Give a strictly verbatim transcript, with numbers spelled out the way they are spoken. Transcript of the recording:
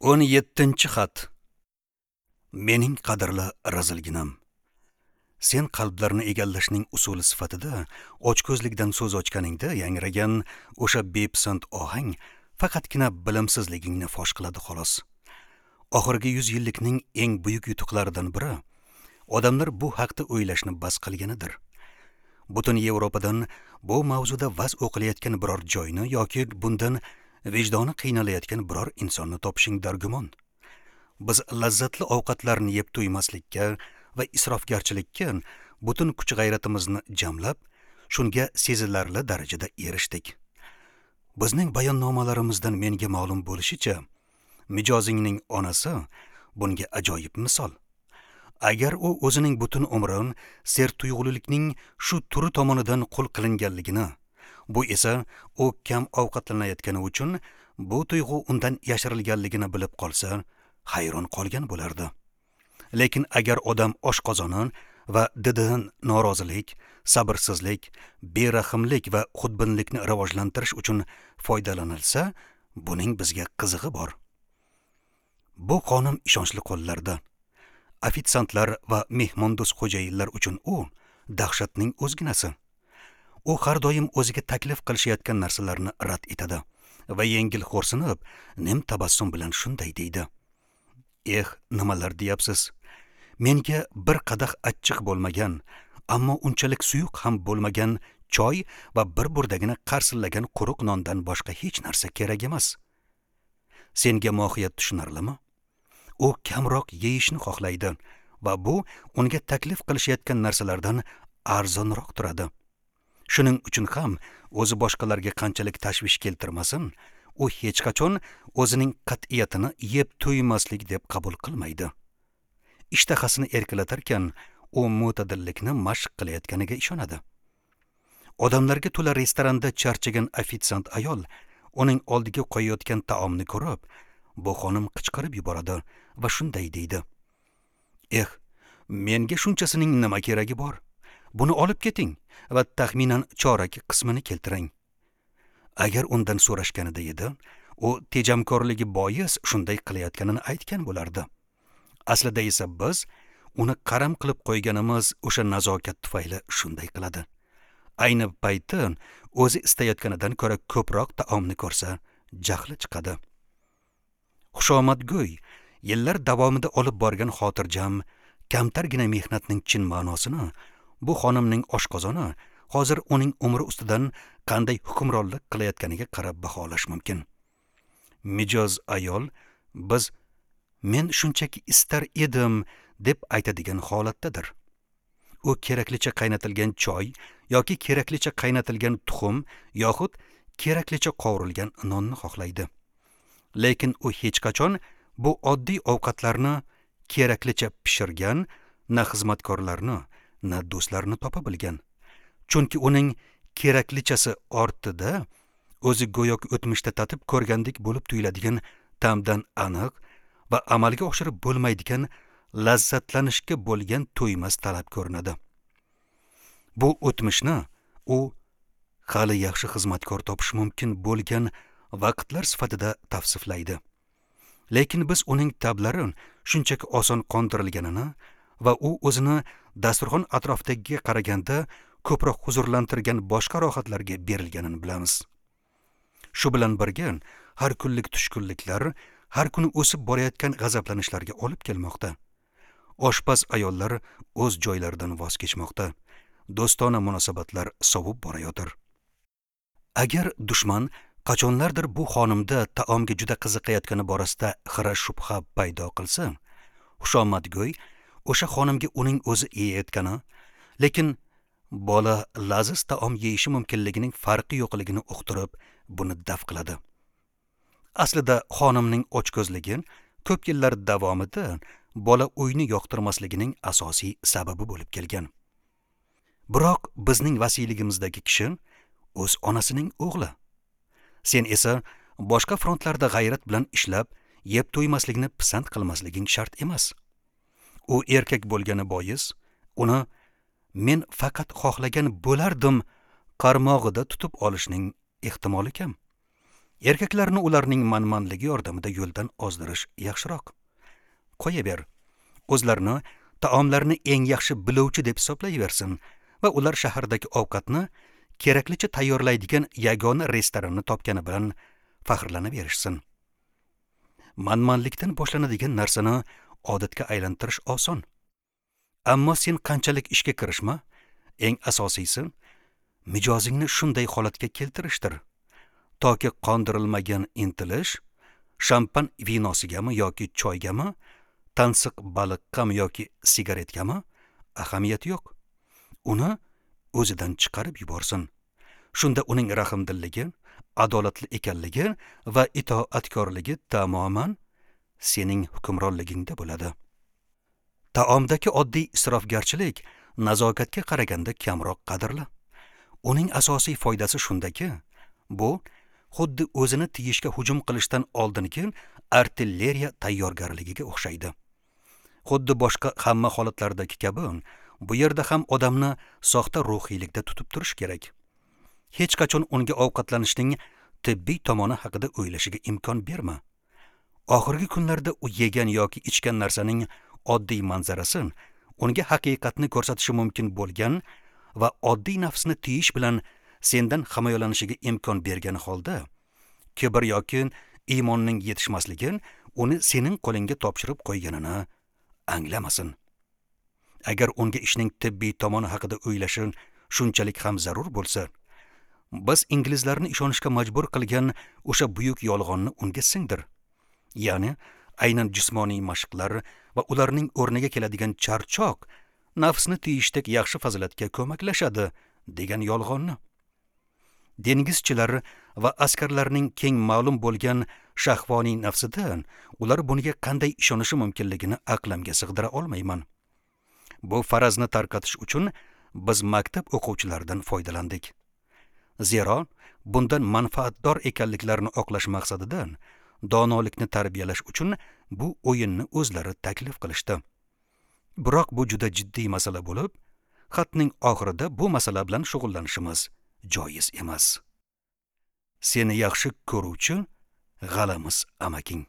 O'n yettinchi xat. Mening qadrli razilginam. Sen qalblarni egallashning usuli sifatida ochko'zlikdan so'z ochganingda yangragan o'sha bepisand ohang faqatgina bilimsizligingni fosh qiladi xolos. Oxirgi yuz yillikning eng buyuk yutuqlaridan biri odamlar bu haqda o'ylashni bas qilganidir. Butun Yevropadan bu mavzuda vaz o'qilayotgan biror joyni yoki bundan vijdoni qiynalayotgan biror insonni topishing dargumon. Biz lazzatli ovqatlarni yeb to'ymaslikka va isrofgarchilikka butun kuch-g'ayratimizni jamlab, shunga sezilarli darajada erishdik. Bizning bayonnomalarimizdan menga ma'lum bo'lishicha, mijozingning onasi bunga ajoyib misol. Agar u o'zining butun umrini sertuyg'ulilikning shu turi tomonidan qul qilinganligini, bu esa u kam ovqatlanayotgani uchun bu tuyg'u undan yashirilganligini bilib qolsa, hayron qolgan bo'lardi. Lekin agar odam oshqozoni va dididan norozilik, sabrsizlik, berahmlik va xudbinlikni rivojlantirish uchun foydalanilsa, buning bizga qizig'i bor. Bu xonim ishonchli qo'llarda. Ofitsiantlar va mehmondo'st xo'jayinlar uchun u dahshatning o'zginasi. U har doim o'ziga taklif qilishayotgan narsalarni rad etadi va yengil xo'rsinib, nim tabassum bilan shunday deydi: "Eh, nimalar deyapsiz? Menga bir qadah achchiq bo'lmagan, ammo unchalik suyuq ham bo'lmagan choy va bir burdagina qarsillagan quruq nondan boshqa hech narsa kerak emas." Senga mohiyat tushunarlimi? U kamroq yeyishni xohlaydi va bu unga taklif qilishayotgan narsalardan arzonroq turadi. Shuning uchun ham o'zi boshqalarga qanchalik tashvish keltirmasin, u hech qachon o'zining qat'iyatini yeb to'ymaslik deb qabul qilmaydi. Ishtahasini erkalatarkan, u mo'tadillikni mashq qilayotganiga ishonadi. Odamlarga to'la restoranda charchagan ofitsiant ayol uning oldiga qo'yayotgan taomni ko'rib, bu xonim qichqirib yuboradi va shunday deydi: "Eh, menga shunchasining nima keragi bor? Buni olib keting va taxminan chorak qismini keltiring." Agar undan so'rashganida edi, u tejamkorligi bois shunday qilayotganini aytgan bo'lardi. Aslida esa biz uni qaram qilib qo'yganimiz o'sha nazokat tufayli shunday qiladi. Ayni payti o'zi istayotganidan ko'ra ko'proq taomni ko'rsa, jahli chiqadi. Xushomadgo'y yillar davomida olib borgan xotirjam, kamtargina mehnatning chin ma'nosini bu xonimning oshqozoni hozir uning umri ustidan qanday hukmronlik qilayotganiga qarab baholash mumkin. Mijoz ayol biz men shunchaki istar edim deb aytadigan holatdadir. U keraklicha qaynatilgan choy yoki keraklicha qaynatilgan tuxum yoxud keraklicha qovurilgan nonni xohlaydi. Lekin u hech qachon bu oddiy ovqatlarni keraklicha pishirgan na xizmatkorlarni, na do'stlarni topa bilgan. Chunki uning keraklichasi ortida o'zi go'yoki o'tmishda tatib ko'rgandek bo'lib tuyuladigan ta'mdan aniq va amalga oshirib bo'lmaydigan lazzatlanishga bo'lgan to'ymas talab ko'rinadi. Bu o'tmishni u hali yaxshi xizmatkor topish mumkin bo'lgan vaqtlar sifatida tavsiflaydi. Lekin biz uning tablari shunchaki oson qondirilganini va u o'zini dasturxon atrofidagiga qaraganda ko'proq huzurlantirgan boshqa rohatlarga berilganini bilamiz. Shu bilan birga har kunlik tushkunliklar har kuni o'sib borayotgan g'azablanishlarga olib kelmoqda. Oshpaz ayollar o'z joylaridan voz kechmoqda. Do'stona munosabatlar sovib borayotir. Agar dushman qachonlardir bu xonimda taomga juda qiziqayotgani borasida xira shubha paydo qilsa, xushomadgo'y o'sha xonimga uning o'zi yeyayotgani, lekin bola laziz taom yeyishi mumkinligining farqi yo'qligini uqtirib, buni daf qiladi. Aslida xonimning ochko'zligi ko'p yillar davomida bola uyni yoqtirmasligining asosiy sababi bo'lib kelgan. Biroq bizning vasiyligimizdagi kishi o'z onasining o'g'li. Sen esa boshqa frontlarda g'ayrat bilan ishlab, yeb to'ymaslikni pisand qilmasliging shart emas. U erkak bo'lgani bois, uni men faqat xohlagan bo'lardim qarmog'ida tutib olishning ehtimoli kam. Erkaklarni ularning manmanligi yordamida yo'ldan ozdirish yaxshiroq. Qo'yaver, o'zlarini taomlarni eng yaxshi biluvchi deb hisoblayversin va ular shahardagi ovqatni keraklicha tayyorlaydigan yagona restoranni topgani bilan faxrlanaverishsin. Manmanlikdan boshlanadigan narsani odatga aylantirish oson. Ammo sen qanchalik ishga kirishma, eng asosiysi mijozingni shunday holatga keltirishdir, toki qondirilmagan intilish shampan vinosigami yoki choygami, tansiq baliqqami yoki sigaretgami ahamiyati yo'q. Uni o'zidan chiqarib yuborsin. Shunda uning rahmdilligi, adolatli ekanligi va itoatkorligi tamoman sening hukmronligingda bo'ladi. Taomdagi oddiy isrofgarchilik nazokatga qaraganda kamroq qadrli. Uning asosiy foydasi shundaki, bu xuddi o'zini tiyishga hujum qilishdan oldingi artilleriya tayyorgarligiga o'xshaydi. Xuddi boshqa hamma holatlardagi kabi, bu yerda ham odamni soxta ruhiylikda tutib turish kerak. Hech qachon unga ovqatlanishning tibbiy tomoni haqida o'ylashiga imkon berma. Oxirgi kunlarda u yegan yoki ichgan narsaning oddiy manzarasi unga haqiqatni ko'rsatishi mumkin bo'lgan va oddiy nafsni tiyish bilan sendan himoyalanishiga imkon bergan holda, kibr yoki iymonning yetishmasligi uni sening qo'lingga topshirib qo'yganini anglamasin. Agar unga ishning tibbiy tomoni haqida o'ylashi shunchalik ham zarur bo'lsa, biz inglizlarni ishonishga majbur qilgan o'sha buyuk yolg'onni unga singdir. Ya'ni aynan jismoniy mashqlar va ularning o'rniga keladigan charchoq nafsni tiyishdek yaxshi fazilatga ko'maklashadi degan yolg'onni. Dengizchilar va askarlarning keng ma'lum bo'lgan shahvoniy nafsidan ular bunga qanday ishonishi mumkinligini aqlimga sig'dira olmayman. Bu farazni tarqatish uchun biz maktab o'quvchilaridan foydalandik. Zero bundan manfaatdor ekanliklarini oqlash maqsadidan donolikni tarbiyalash uchun bu o'yinni o'zlari taklif qilishdi. Biroq bu juda jiddiy masala bo'lib, xatning oxirida bu masala bilan shug'ullanishimiz joiz emas. Seni yaxshi ko'ruvchi g'alamiz amaking.